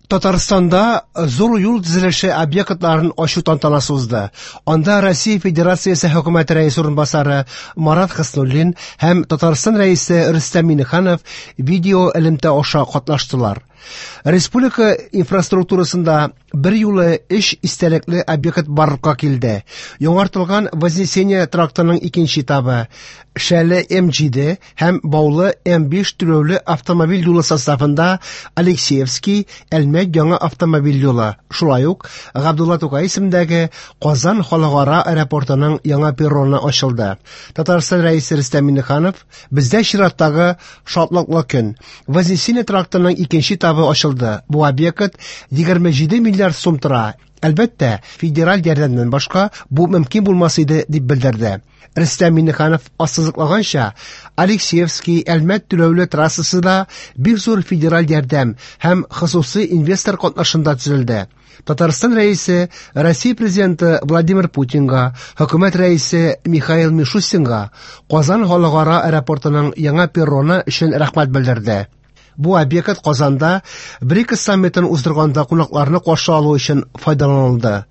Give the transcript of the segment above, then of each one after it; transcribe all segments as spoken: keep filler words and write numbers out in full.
Татарстанда зур юл төзелеше объектларын ачу тантанасы узды. Анда Россия Федерациясе Хөкүмәте рәисе урынбасары Марат Хөснуллин һәм Татарстан рәисе Рөстәм Миңнеханов видео элемтә аша катнаштылар. Республика инфраструктурасында бер юлы өч истәлекле объект барлыкка килде. Яңартылган Вознесение трактының икенче этабы, Шәле М җиде һәм Баулы М биш түләүле автомобиль юлы составында Алексеевский Әлмәт яңа автомобиль юлы, шулай ук Габдулла Тукай исемендәге Казан халыкара аэропортының яңа перроны ачылды. Татарстан рәисе Рөстәм Миңнеханов: "Бездә чираттагы шатлыклы көн. Вознесение трактының икенче этабы ачылды. Бу объект егерме җиде миллиард сум тора. Әлбәттә, федераль ярдәмнән башка бу мөмкин булмас иде", дип белдерде. Рөстәм Миңнеханов ассызыклаганча, Алексеевский Әлмәт түләүле трассасы да бик зур федераль ярдәм һәм хосусый инвестор катнашында төзелде. Татарстан рәисе Россия президенты Владимир Путинга, хөкүмәт рәисе Михаил Мишустинга Казан халыкара аэропортының яңа перроны өчен рәхмәт белдерде. Бу объект Казанда БРИКС саммитын уздырганда кунакларны каршы алу өчен файдаланылды.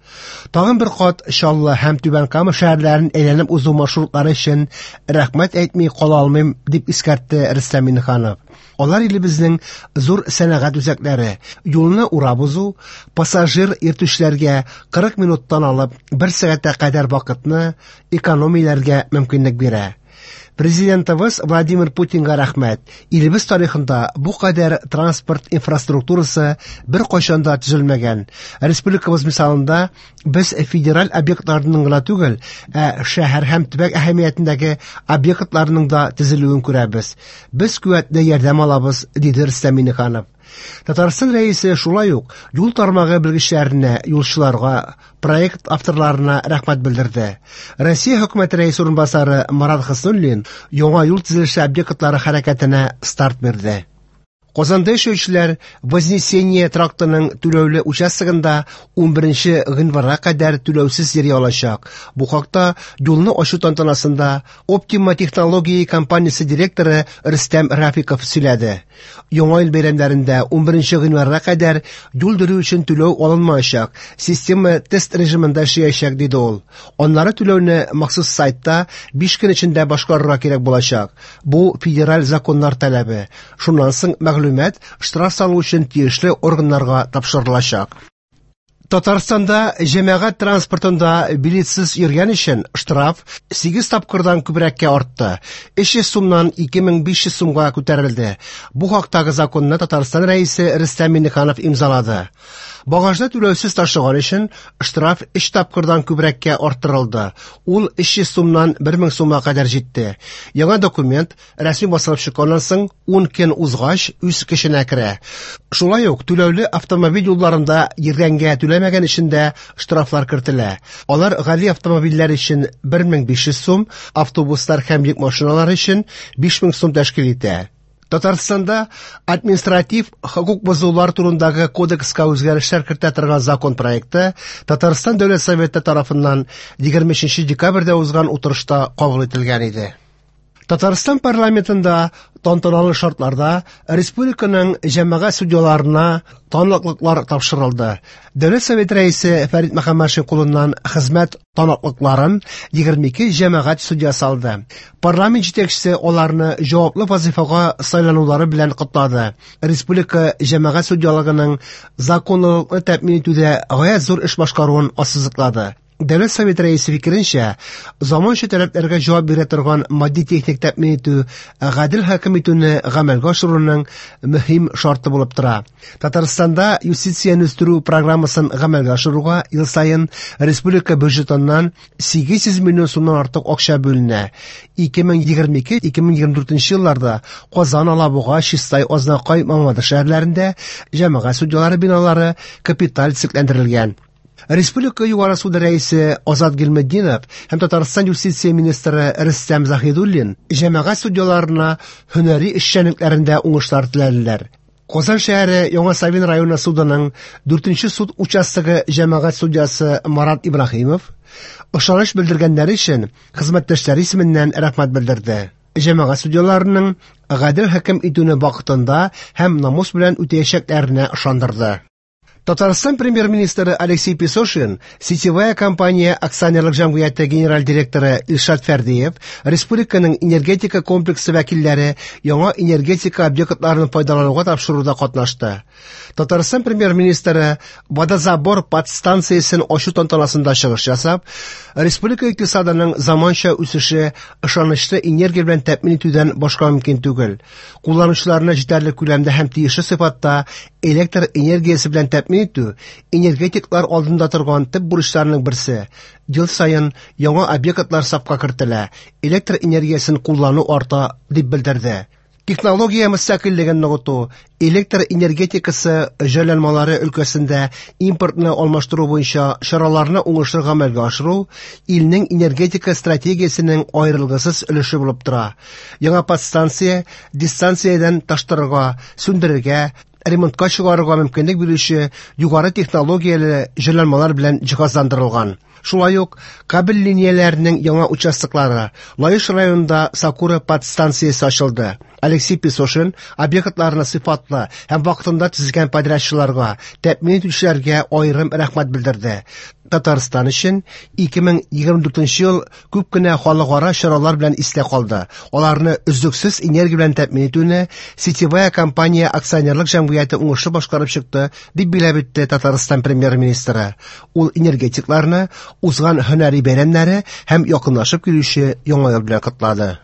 Тагын бер кат Чаллы һәм Түбән Кама шәһәрләрен әйләнеп узу маршрутлары өчен рәхмәт әйтми кала алмыйм, дип искәртте Рөстәм Миңнеханов. Алар илебезнең зур сәнәгать үзәкләре. Юлны урап узу пассажир йөртүчеләргә кырык минуттан алып бер сәгатькә кадәр вакытны экономияләргә мөмкинлек бирә. Президентыбыз Владимир Путинга рәхмәт. Илебез тарихында бу кадәр транспорт инфраструктурасы бер кайчан да төзелмәгән. Республикабыз мисалында без федераль объектларның гына түгел, ә шәһәр һәм төбәк әһәмиятендәге объектларның да төзелүен күрәбез. Без куәтле ярдәм алабыз, диде Рөстәм Миңнеханов. Татарстан рәисе шулай ук юл тармагы белгечләренә, юлчыларга, проект авторларына рәхмәт белдерде. Россия хөкүмәте рәисе урынбасары Марат Хөснуллин яңа юл төзелеше объектлары хәрәкәтенә старт бирде. Казанда яшәүчеләр Вознесение трактының түләүле участогында унберенче гыйнварга кадәр түләүсез йөри алачак. Бу хакта юлны ачу тантанасында Optima Технологии компаниясе директоры Рөстәм Рафиков сөйләде. Яңа ел бәйрәмнәрендә унберенче гыйнварга кадәр юл йөрү өчен түләү алынмаячак. Система тест режимында эшләячәк, диде ул. Аннары түләүне махсус сайтта биш көн эчендә башкарырга кирәк булачак. Бу федераль законнар таләбе. Шуннан соң мәгълүмат штраф салу өчен тиешле органнарга тапшырылачак. Татарстанда җәмәгать транспортында билетсыз йөргән өчен штраф сигез тапкырдан күбрәккә артты. Өч йөз сумнан ике мең биш йөз сумга күтәрелде. Бу хактагы законны Татарстан рәисе Рөстәм Миңнеханов имзалады. Багажны түләүсез ташыган өчен штраф өч тапкырдан күбрәккә арттырылды. Ул өч йөз сумнан бер мең сумга кадәр җитте. Яңа документ рәсми басылып чыкканнан соң ун көн узгач үз көченә керә. Шулай ук түләүле автомобиль юлларында йөргәнгә түләмәгән өчен дә штрафлар кертелә. Алар гади автомобильләр өчен бер мең биш йөз сум, автобуслар һәм йөк машиналары өчен биш мең сум тәшкил итә. Татарстанда административ хокук бозулар турындагы кодекска үзгәрешләр кертә торган закон проекты Татарстан Дәүләт Советы тарафыннан егерме өченче декабрьдә узган утырышта кабул ителгән иде. Татарстан парламентында тантаналы шартларда республиканың җәмәгать судьяларына таныклыклар тапшырылды. Дәүләт Советы рәисе Фәрит Мөхәммәтшин кулыннан хезмәт таныклыкларын егерме ике җәмәгать судьясы алды. Парламент җитәкчесе аларны җаваплы вазифага сайланулары белән котлады. Республика җәмәгать судьялыгының законлылыкны тәэмин итүдә гаять зур эш башкаруын ассызыклады. Дәүләт Советы рәисе фикеренчә, заманча таләпләргә җавап бирә торган матди-техник тәэмин итү гадел хөкем итүне гамәлгә ашыруның мөһим шарты булып тора. Татарстанда юстицияне үстерү программасын гамәлгә ашыруга ел саен республика бюджетыннан сигез йөз миллион сумнан артык акча бүленә. Ике мең егерме ике, ике мең егерме дүртенче елларда Казан, Алабуга, Чистай, Азнакай, Мамадыш шәһәрләрендә җәмәгать судьялары биналары капиталь төзекләндерелгән. Республика Югары суды рәисе Азат Гыйльметдинов һәм Татарстан юстиция министры Рөстәм Заһидуллин җәмәгать судьяларына һөнәри эшчәнлекләрендә уңышлар теләделәр. Казан шәһәре Яңа Савин районы судының дүртенче суд участогы җәмәгать судьясы Марат Ибраһимов ышаныч белдергәннәре өчен хезмәттәшләре исеменнән рәхмәт белдерде. Җәмәгать судьяларының гадел хөкем итүне вакытында һәм намус белән үтәячәкләренә ышандырды. Татарстан премьер-министры Алексей Песошин, Сетевая компания акционерлык җәмгыяте генераль директоры Илшат Фәрдиев, республиканың энергетика комплексы вәкилләре яңа энергетика объектларын файдалануга тапшыруда катнашты. Татарстан премьер-министры водозабор подстанциясен ачу тантанасында чыгыш ясап, республика икътисадының заманча үсеше ышанычлы энергия белән тәэмин итүдән башка мөмкин түгел. Кулланучыларны җитәрлек күләмдә һәм тиешле сыйфатта электр энергиясе белән тәэмин итү энергетиклар алдында торган төп бурычларның берсе. Ел саен яңа объектлар сафка кертелә, электр энергиясен куллану арта, дип белдерде. Технология мөстәкыйльлеген ныгыту, электр энергетикасы җайланмалары өлкәсендә импортны алмаштыру буенча чараларны уңышлы гамәлгә ашыру илнең энергетика стратегиясенең аерылгысыз өлеше булып тора. Яңа подстанция дистанциядән таштырырга, сүндерергә, ремонтка чыгарырга мөмкинлек бирүче югары технологияле җайланмалар белән җиһазландырылган. Шулай ук кабель линияләренең яңа участоклары Лаеш районында Сакура подстанциясе ачылды. Алексей Песошин объектларны сыйфатлы һәм вакытында төзегән подрядчыларга, тәэмин итүчеләргә аерым рәхмәт белдерде. Татарстан өчен ике мең егерме дүртенче ел күп кенә халыкара чаралар белән истә калды. Аларны өзлексез энергия белән тәэмин итүне Сетевая компания акционерлык җәмгыяте уңышлы башкарып чыкты, дип билгеләп үтте Татарстан премьер-министры. Ул энергетикларны узган һөнәри бәйрәмнәре һәм якынлашып килүче яңа ел белән котлады.